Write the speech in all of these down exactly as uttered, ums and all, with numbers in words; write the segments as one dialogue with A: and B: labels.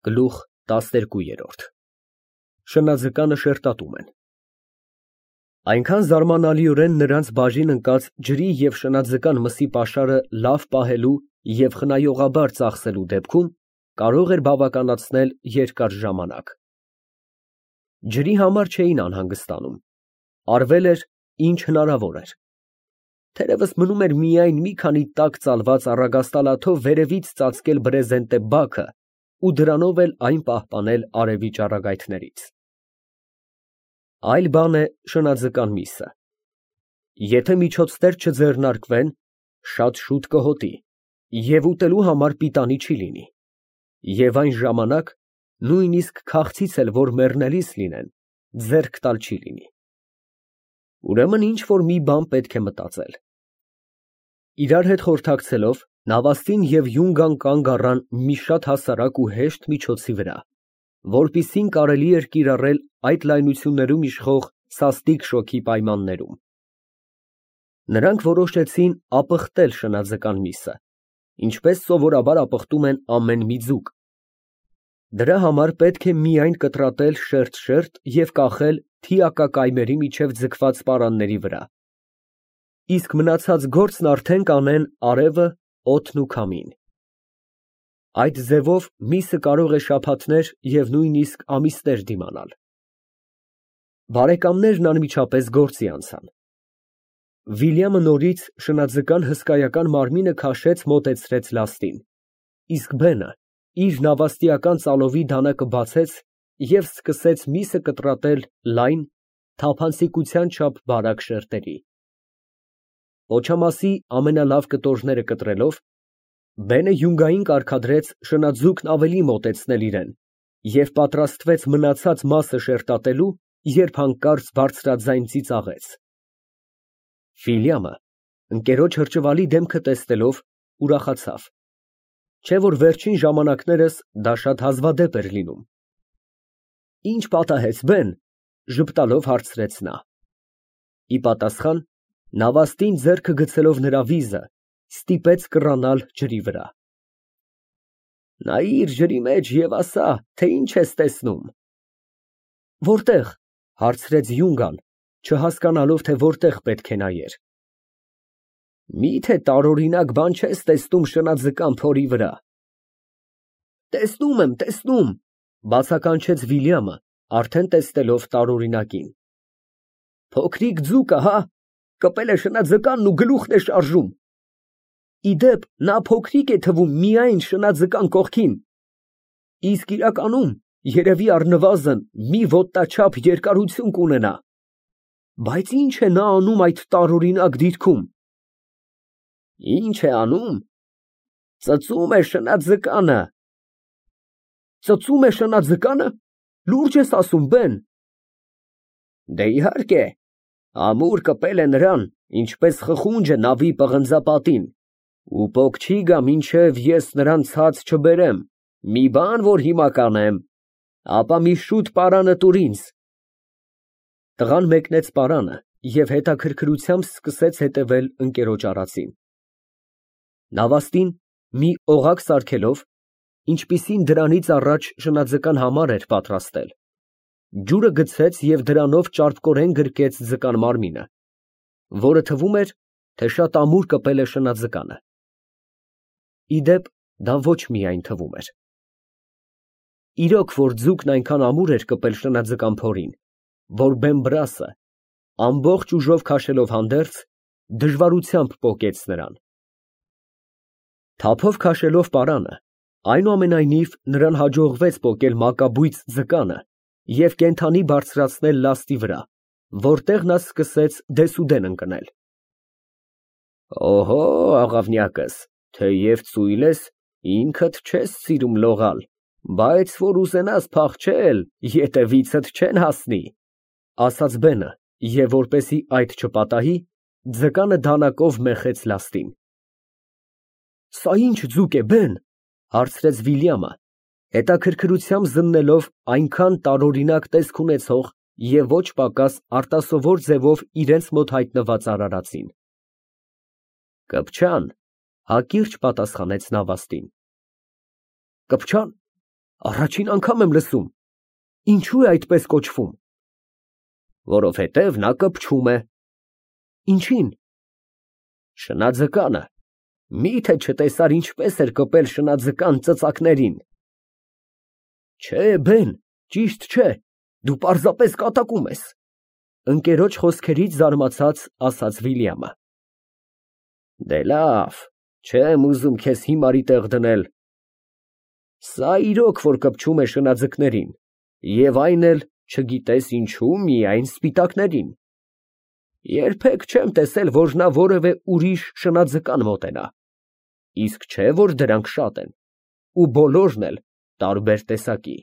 A: Գլուխ տասներկու։ Շնաձկանը շերտատում են։ Այնքան զարմանալիորեն նրանց բաժին ընկած ջրի և շնաձկան մսի պաշարը լավ պահելու և խնայողաբար ծախսելու դեպքում կարող էր բավականացնել երկար ժամանակ։ Ջրի համար չէին անհանգստանում, արվել էր, ինչ հնարավոր էր։ Թերևս մնում էր միայն մի քանի տաք ծալված առագաստալաթով վերևից ծածկել բրեզենտե բաքը ու դրանով էլ այն պահպանել արևի ճառագայթներից։ Այլ բան է շնաձկան միսը։ Եթե միջոցներ չձեռնարկվեն, շատ շուտ կհոտի և ուտելու համար պիտանի չի լինի, և այն ժամանակ նույնիսկ քաղցից էլ որ մեռնելիս լինեն, ձեռք տալ չի լինի։ Ուրեմն ինչ֊որ մի բան պետք է մտածել։ Իրար հետ խորհրդակցելով, Նավաստին և Յունգան կանգ առան մի շատ հասարակ ու հեշտ միջոցի վրա, որպիսին կարելի էր կիրառել այդ լայնություններում իշխող սաստիկ շոգի պայմաններում։ Նրանք որոշեցին ապխտել շնաձկան միսը, ինչպես սովորաբար ապխտում են ամեն մի ձուկ։ Դրա համար պետք է միայն կտրատել շերտ֊շերտ և կախել թիակակայմերի միջև ձգված պարանների վրա, իսկ մնացած գործն արդեն կանեն արևը, օդն ու քամին։ Այդ ձևով միսը կարող է շաբաթներ և նույնիսկ ամիսներ դիմանալ։ Բարեկամներն անմիջապես գործի անցան։ Վիլյամը նորից շնաձկան հսկայական մարմինը քաշեց մոտեցրեց լաստին, իսկ Բենը իր նավաստիական ծալովի դանակը բացեց և սկսեց միսը կտրատել լայն, թափանցիկության չափ բարակ շերտերի։ Պոչամասի ամենալավ կտորները կտրելով, Բենը Յունգային կարգադրեց շնաձուկն ավելի մոտեցնել իրան և պատրաստվեց մնացած մասը շերտատելու, երբ հանկարծ բարձրաձայն ծիծաղեց։ Վիլյամը, ընկերոջ հրճվալի դեմքը տեսնելով, ուրախացավ, չէ՞ որ վերջին ժամանակներս դա շատ հազվադեպ էր լինում։ Ի՞նչ պատահեց, Բեն, ֊ ժպտալով հարցրեց նա։ Ի պատասխան, նավաստին ձեռքը գցելով նրա վիզը, ստիպեց կռանալ ջրի վրա։ Նայիր ջրի մեջ և ասա, թե ինչ ես տեսնում։ Որտե՞ղ, ֊ հարցրեց Յունգան, չհասկանալով, թե որտեղ պետք է նայեր։ Մի՞թե տարօրինակ բան չես տեսնում շնաձկան փորի վրա։ Տեսնում եմ, տեսնում, ֊ բացականչեց Վիլյամը, արդեն տեսնելով տարօրինակին։ Փոքրիկ ձուկը, հա, կպել է շնաձկանն ու գլուխն է շարժում։ Ի դեպ, նա փոքրիկ է թվում միայն շնաձկան կողքին, իսկ իրականում երևի առնվազն մի ոտնաչափ երկարություն կունենա։ Բայց ի՞նչ է նա անում այդ տարօրինակ դիրքում։ Ի՞նչ է անում։ Ծծում է շնաձկանը։ Ծծում է շնաձկանը, լուրջ ես ասում, Բեն։ Դե իհարկե, ամուր կպել է նրան, ինչպես խխունջը նավի պղնձապատին, ու պոկ չի գա, մինչև ես նրան ցած չբերեմ, մի բան, որ հիմա կանեմ, ապա մի շուտ պարանը տուր ինձ։ Տղան մեկնեց պարանը և հետաքրքրությամբ սկսեց հետևել ընկերոջ արածին։ Նավաստին, մի օղակ սարքելով, ինչպիսին դրանից առաջ շնաձկան համար էր պատրաստել, ջուրը գցեց և դրանով ճարպկորեն գրկեց ձկան մարմինը, որը թվում էր, թե շատ ամուր կպել է շնաձկանը։ Ի դեպ, դա ոչ միայն թվում էր։ Իրոք, որ ձուկն այնքան ամուր էր կպել շնաձկան փորին, որ Բեն֊Բրասը, ամբողջ ուժով քաշելով հանդերձ, դժվարությամբ պոկեց նրան։ Թափով քաշելով պարանը, այնուամենայնիվ նրան հաջողվեց պոկել մակաբույծ ձկանը և կենդանի բարձրացնել լաստի վրա, որտեղ նա սկսեց դեսուդեն ընկնել։ Օհո, աղավնյակս, թեև ծույլ ես, ինքդ չես սիրում լողալ, բայց որ ուզենաս փախչել, ետևիցդ չեն հասնի, ֊ ասաց Բենը և, որպեսզի այդ չպատահի, ձկանը դանակով մեխեց լաստին։ Սա ի՞նչ ձուկ է, Բեն, ֊ հարցրեց Վիլյամը, հետաքրքրությամբ զննելով այնքան տարօրինակ տեսք ունեցող և ոչ պակաս արտասովոր ձևով իրենց մոտ հայտնված արարածին։ Կպչան, ֊ հակիրճ պատասխանեց նավաստին։ Կպչան։ Առաջին անգամ եմ լսում։ Ինչու է այդպես կոչվում։ Որովհետև նա կպչում է։ Ինչին։ Շնաձկանը։ Մի՞թե չտեսար ինչպես էր կպել շնաձկան ծծակներին։ Չէ, բեն, ճիշտ չէ, դու պարզապես կատակում ես, ընկերոջ խոսքերից զարմացած ասաց Վիլյամը։ Դե լավ, չեմ ուզում քեզ հիմարի տեղ դնել։ Սա իրոք որ կպչում է շնաձկներին, և այն էլ չգիտես ինչու միայն սպիտակներին։ Երբեք չեմ տեսել, որ նա որևէ ուրիշ շնաձկան մոտենա, իսկ չէ որ դրանք շատ են, ու բոլորն էլ տարբեր տեսակի։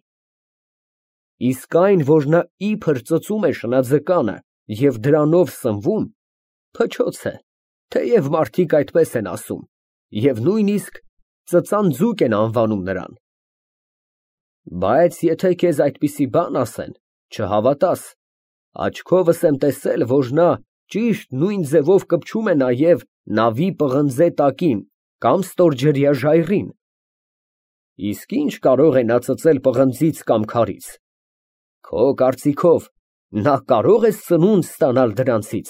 A: Իսկ այն, որ նա իբր ծծում է շնաձկանը և դրանով սնվում, փչոց է, թեև մարդիկ այդպես են ասում, և նույնիսկ ծծանձուկ են անվանում նրան։ Բայց եթե քեզ այդպիսի բան ասեն, չհավատաս, աչքովս եմ տեսել, որ նա ճիշտ նույն ձևով կպչում է նաև նավի պղնձե տակին կամ ստորջրյա ժայռին։ Իսկ ինչ կարող է նա ծծել պղնձից կամ քարից։ Քո կարծիքով նա կարո՞ղ է սնունդ ստանալ դրանցից։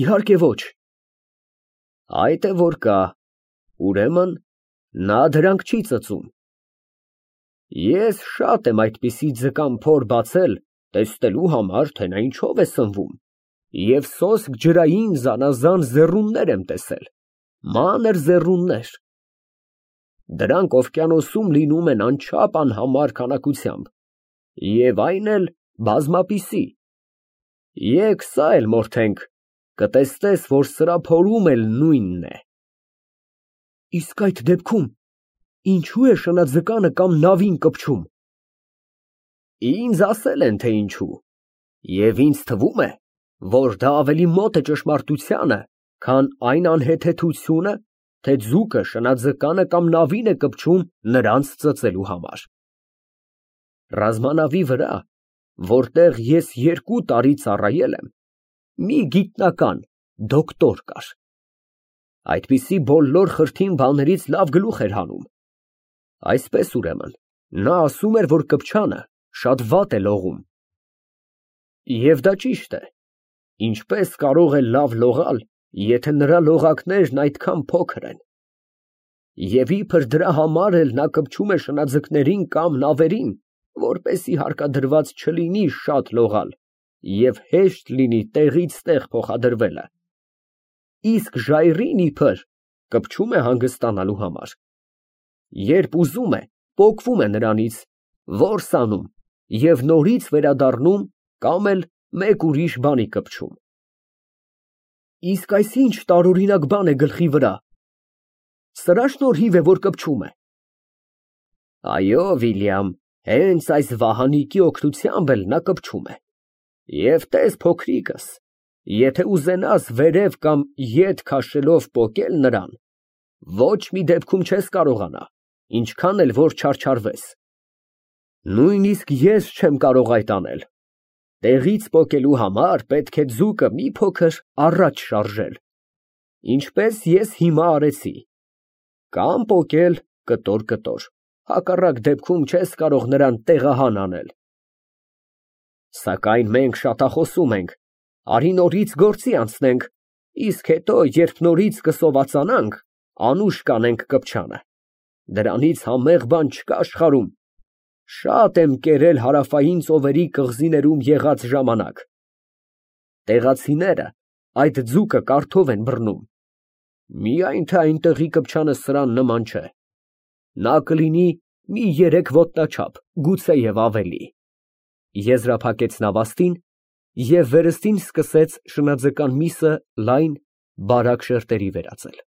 A: Իհարկե ոչ։ Այդ է որ կա, ուրեմն նա դրանք չի ծծում։ Ես շատ եմ այդպիսի ձկան փոր բացել, տեսնելու համար, թե նա ինչով է սնվում, և սոսկ ջրային զանազան ձեռուններ եմ տեսել, մանր ձեռուններ։ Դրանք օվկիանոսում լինում են անչափ անհամար քանակությամբ, և այն էլ բազմապիսի։ Եկ սա էլ մորթենք, կտեսնես, որ սրա փորում էլ նույնն է։ Իսկ այդ դեպքում ինչու է շնաձկանը կամ նավին կպչում։ Ինձ ասել են, թե ինչու, և ինձ թվում է, որ դա ավելի մոտ է ճշմարտությանը, քան այն անհեթեթությունը, թե ձուկը շնաձկանը կամ նավին է կպչում նրանց ծծելու համար։ Ռազմանավի վրա, որտեղ ես երկու տարի ծառայել եմ, մի գիտնական, դոկտոր կար։ Այդպիսի բոլոր խրթին բաներից լավ գլուխ էր հանում։ Այսպես ուրեմն, նա ասում էր, որ կպչանը շատ վատ է լողում։ Եվ դա ճիշտ է։ Ինչպես կարող է լավ լողալ, եթե նրա լողակներն այդքան փոքր են։ Եվ իբր դրա համար էլ նա կպչում է շնաձկներին կամ նավերին, որպեսզի հարկադրված չլինի շատ լողալ և հեշտ լինի տեղից տեղ փոխադրվելը։ Իսկ ժայռին իբր կպչում է հանգստանալու համար։ Երբ ուզում է, պոկվում է նրանից, որս անում և նորից վերադառնում կամ էլ մեկ ուրիշ բանի կպչում։ Իսկ այս ինչ տարօրինակ բան է գլխի վրա։ Սրա շնորհիվ է, որ կպչում է։ Այո, Վիլյամ, հենց այս վահանիկի օգնությամբ էլ նա կպչում է։ Եվ տես, փոքրիկս, եթե ուզենաս վերև կամ ետ քաշելով պոկել նրան, ոչ մի դեպքում չես կարողանա, ինչքան էլ որ չարչարվես։ Նույնիսկ ես չեմ կարող այդ անել։ Տեղից պոկելու համար պետք է ձուկը մի փոքր առաջ շարժել, ինչպես ես հիմա արեցի, կամ պոկել կտոր֊կտոր, հակառակ դեպքում չես կարող նրան տեղահան անել։ Սակայն մենք շատախոսում ենք, արի նորից գործի անցնենք, իսկ հետո, երբ նորից կսովածանանք, անուշ կանենք կպչանը։ Դրանից համեղ բան չկա աշխարհում։ Շատ եմ կերել հարավային ծովերի կղզիներում եղած ժամանակ։ Տեղացիները այդ ձուկը կարթով են բռնում։ Միայն թե այնտեղի կպչանը սրան նման չէ։ Նա կլինի մի երեք ոտնաչափ, գուցեև ավելի։ Եզրափակեց նավաստին և վերստին սկսեց շնաձկան միսը լայն, բարակ շերտերի վերածել։